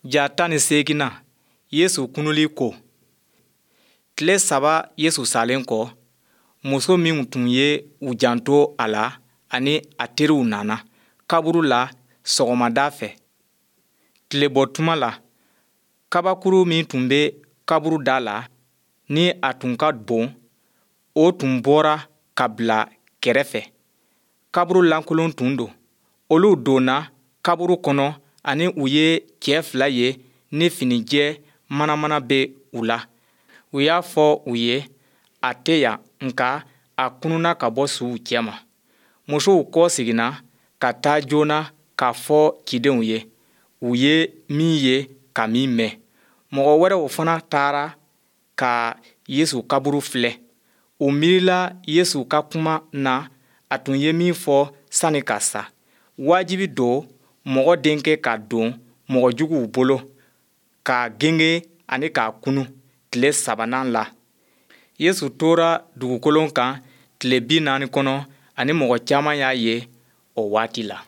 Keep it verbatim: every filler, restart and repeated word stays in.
Ja tan ni seeginnan, Yesu kununli ko. Tile saba Yesu salen kɔ, muso minw tun ye u janto a la ani a teriw nana kaburu la sɔgɔmada fɛ, tilebɔ tuma la. Kabakuru min tun bɛ kaburu da la, ni a tun ka bon, o tun bɔra ka bila kɛrɛ fɛ. Kaburu lankolon tun don. Olu donna kaburu kɔnɔ ani u ye cɛ fila ye ni finijɛ manamana bɛ u la. U y'a fɔ u ye, A tɛ yan, nka a kununna ka bɔ suw cɛma. Musow kɔseginna ka taa joona k'a fɔ cidenw ye, u ye min ye ka min mɛn. Mɔgɔ wɛrɛw fana taara ka Yesu kaburu filɛ. U miirila Yesu ka kuma na a tun ye min fɔ sani ka sa, Wajibi don Mɔgɔ Denkɛ ka don mɔgɔ juguw bolo, k'a gengen ani k'a kunun tile sabanan la. Yesu tora dugukolo kan tile binaani kɔnɔ ani mɔgɔ caman y'a ye o waati la.